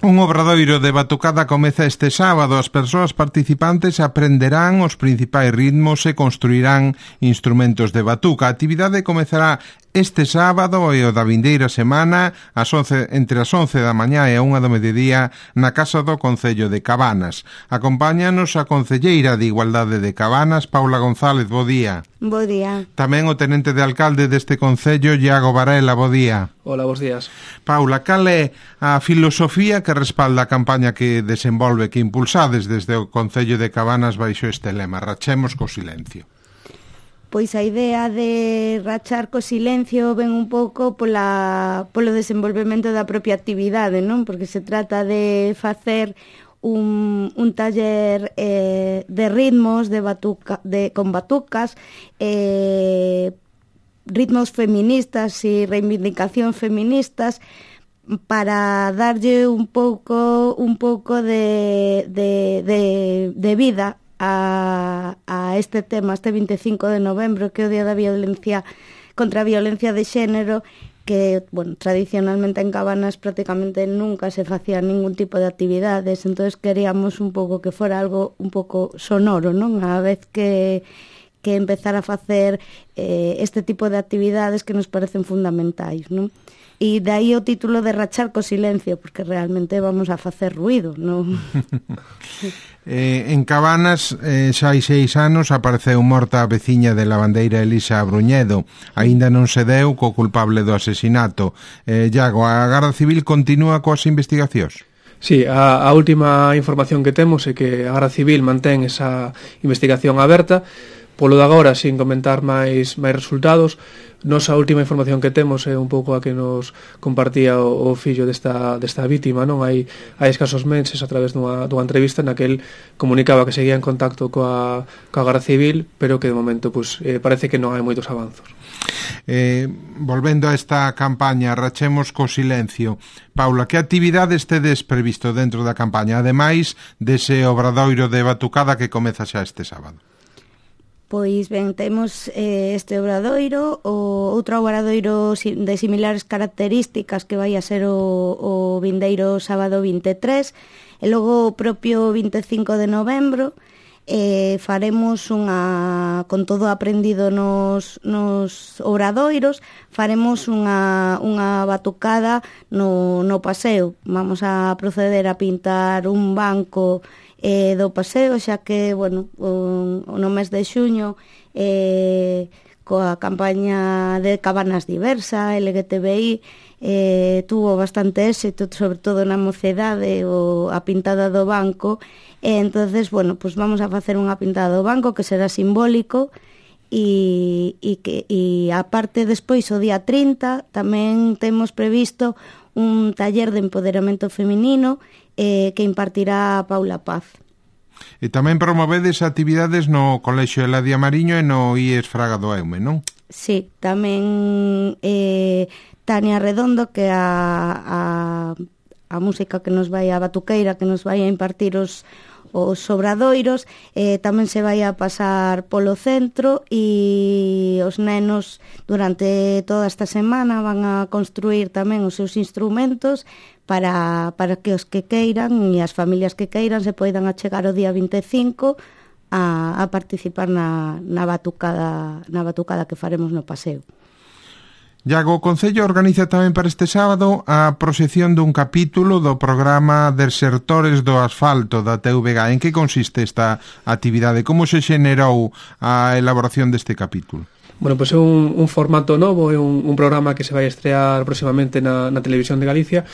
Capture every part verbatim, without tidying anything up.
Un obradoiro de batucada comeza este sábado. As persoas participantes aprenderán os principais ritmos e construirán instrumentos de batuca. A actividade comezará este sábado e o da vindeira semana as once, entre as once da mañá e a unha do mediodía na Casa do Concello de Cabanas. Acompáñanos a concelleira de Igualdade de Cabanas, Paula González. Bo día. Bo día. Tamén o tenente de alcalde deste concello, Iago Varela. Bo día. Hola, bos días. Paula, cal é a filosofía que respalda a campaña que desenvolve, que impulsades desde o Concello de Cabanas baixo este lema, rachemos co silencio? Pois a idea de rachar co silencio ven un pouco pola, polo desenvolvemento da propia actividade, non? Porque se trata de facer un, un taller eh, de ritmos, de batuca, de, con batucas, eh, ritmos feministas e reivindicación feministas, para darlle un pouco un pouco de, de, de, de vida a, a este tema, este vinte e cinco de novembro, que é o Día da Violencia contra a Violencia de Xénero, que, bueno, tradicionalmente en Cabanas prácticamente nunca se facía ningún tipo de actividades, entonces queríamos un pouco que fora algo un pouco sonoro, non? A vez que que empezar a facer eh, este tipo de actividades que nos parecen fundamentais, non? E dai o título de rachar co silencio, porque realmente vamos a facer ruído, non? eh, en Cabanas eh, xa hai seis anos apareceu morta a veciña de Lavandeira, Elisa Bruñedo. Aínda non se deu co culpable do asesinato. eh, Iago, a Garda Civil continúa coas investigacións? Sí, a, a última información que temos é que a Garda Civil mantén esa investigación aberta. Polo de agora, sin comentar máis máis resultados, nosa última información que temos é un pouco a que nos compartía o, o fillo desta, desta vítima, non? Hai, hai escasos meses, a través dunha, dunha entrevista, na que el comunicaba que seguía en contacto coa, coa Garda Civil, pero que de momento pues, eh, parece que non hai moitos avanzos. Eh, volvendo a esta campaña, rachemos co silencio, Paula, que actividades tedes previsto dentro da campaña, ademais dese obradoiro de batucada que comeza xa este sábado? Pois ben, temos eh, este obradoiro, o outro obradoiro de similares características que vai a ser o, o vindeiro sábado vinte e tres, e logo o propio vinte e cinco de novembro eh, faremos unha, con todo aprendido nos, nos obradoiros, faremos unha, unha batucada no, no paseo. Vamos a proceder a pintar un banco eh, do paseo, xa que, bueno, o, no mes de xuño eh, coa campaña de Cabanas Diversa, L G T B I, eh, tuvo bastante éxito, sobre todo na mocedade, o, a pintada do banco, e entonces, bueno, pues vamos a facer unha pintada do banco que será simbólico, e, e, que, e aparte despois o día trinta tamén temos previsto un taller de empoderamento feminino eh, que impartirá Paula Paz. E tamén promovedes actividades no Colexio Eladia Mariño e no I E S Fraga do Eume, non? Sí, tamén eh, Tania Redondo, que a, a, a música que nos vai, a batuqueira que nos vai a impartir os os obradoiros, eh, tamén se vai a pasar polo centro, e os nenos durante toda esta semana van a construir tamén os seus instrumentos para, para que os que queiran e as familias que queiran se poidan achegar o día vinte e cinco a, a participar na, na batucada na batucada que faremos no paseo. Iago, o Concello organiza tamén para este sábado a proxección dun capítulo do programa Desertores do Asfalto da T V G. En que consiste esta actividade? Como se xenerou a elaboración deste capítulo? Bueno, pois pues é un, un formato novo, é un, un programa que se vai estrear próximamente na, na Televisión de Galicia,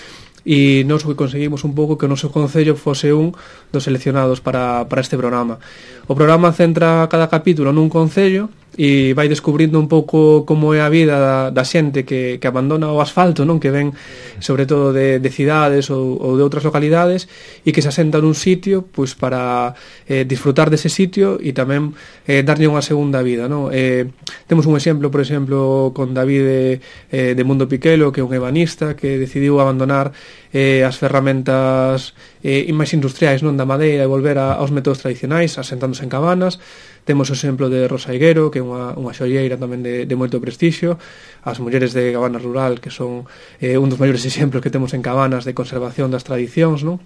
e nós o que conseguimos un pouco que o noso Concello fose un dos seleccionados para, para este programa. O programa centra cada capítulo nun concello e vai descubrindo un pouco como é a vida da, da xente que, que abandona o asfalto, non, que ven sobre todo de, de cidades ou, ou de outras localidades, e que se asenta nun sitio pois para eh, disfrutar dese sitio e tamén eh, darlle unha segunda vida, non? Eh, temos un exemplo, por exemplo, con David eh, de Mundo Piquelo, que é un ebanista que decidiu abandonar eh, as ferramentas eh, máis industriais, non, da madeira, e volver a, aos métodos tradicionais, asentándose en cabanas. Temos o exemplo de Rosa Higuero, que é unha, unha xoieira tamén de, de moito prestixio, as mulleres de Cabana Rural, que son eh, un dos maiores exemplos que temos en Cabanas de conservación das tradicións, non?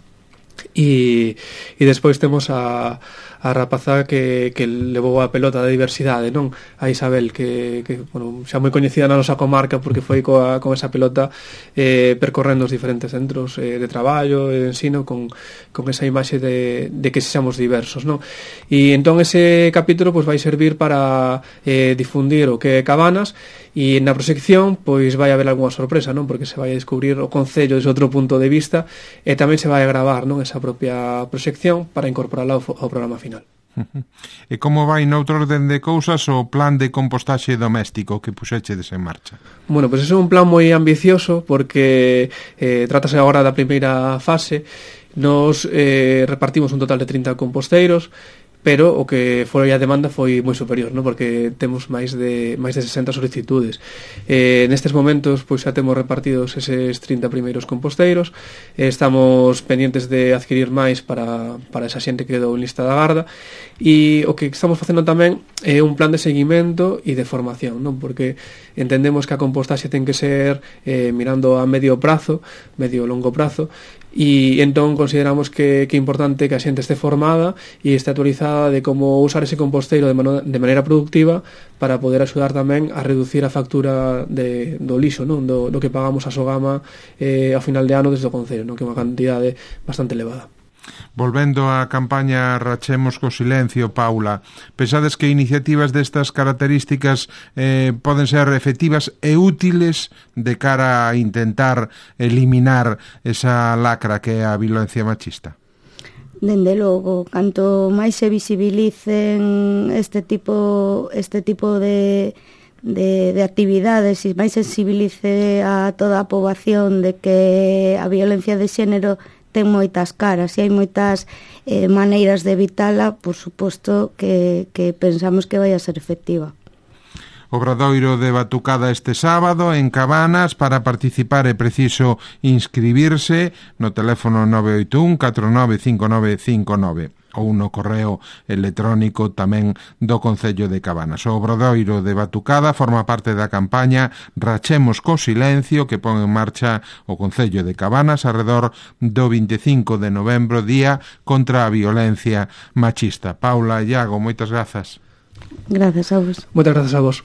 E, e despois temos a, a rapaza que, que levou a pelota da diversidade, non? A Isabel, que, que bueno, xa moi coñecida na nosa comarca porque foi coa, con esa pelota eh, percorrendo os diferentes centros eh, de traballo e de ensino con, con esa imaxe de, de que sexamos diversos, non? E entón ese capítulo pois, vai servir para eh, difundir o que é Cabanas, e na proxección pois vai haber algunha sorpresa, non? Porque se vai a descubrir o concello desde outro punto de vista e tamén se vai a gravar, non? Esa propia proxección para incorporarla ao, ao programa final. E como vai noutro orden de cousas o plan de compostaxe doméstico que puxechedes en marcha? Bueno, pois pues é un plan moi ambicioso porque eh, trátase agora da primeira fase. Nos eh, repartimos un total de trinta composteiros, pero o que foi a demanda foi moi superior, non? Porque temos máis de máis de sesenta solicitudes. Eh, nestes momentos pois xa temos repartidos eses trinta primeiros composteiros, eh, estamos pendientes de adquirir máis para, para esa xente que quedou en lista da garda, e o que estamos facendo tamén é un plan de seguimento e de formación, non? Porque entendemos que a compostaxe ten que ser eh, mirando a medio prazo, medio longo prazo, e entón consideramos que, que é importante que a xente este formada e este actualizada de como usar ese composteiro de, mano, de maneira productiva para poder axudar tamén a reducir a factura de, do lixo, non? Do, do que pagamos a Sogama eh, ao final de ano desde o Concello, non? Que é unha cantidade bastante elevada. Volvendo á campaña Rachemos co Silencio, Paula, pensades que iniciativas destas características eh, poden ser efectivas e útiles de cara a intentar eliminar esa lacra que é a violencia machista? Dende logo, canto máis se visibilicen este tipo este tipo de De, de actividades e máis sensibilice a toda a poboación de que a violencia de xénero ten moitas caras e hai moitas eh, maneiras de evitala, por suposto que, que pensamos que vai a ser efectiva. Obradoiro de Batucada este sábado en Cabanas. Para participar é preciso inscribirse no teléfono nove oito un catro nove cinco nove cinco nove ou no correo electrónico tamén do Concello de Cabanas. O Obradoiro de Batucada forma parte da campaña Rachemos co Silencio que pon en marcha o Concello de Cabanas arredor do vinte e cinco de novembro, día contra a violencia machista. Paula, Iago, moitas grazas. Grazas a vos. Moitas grazas a vos.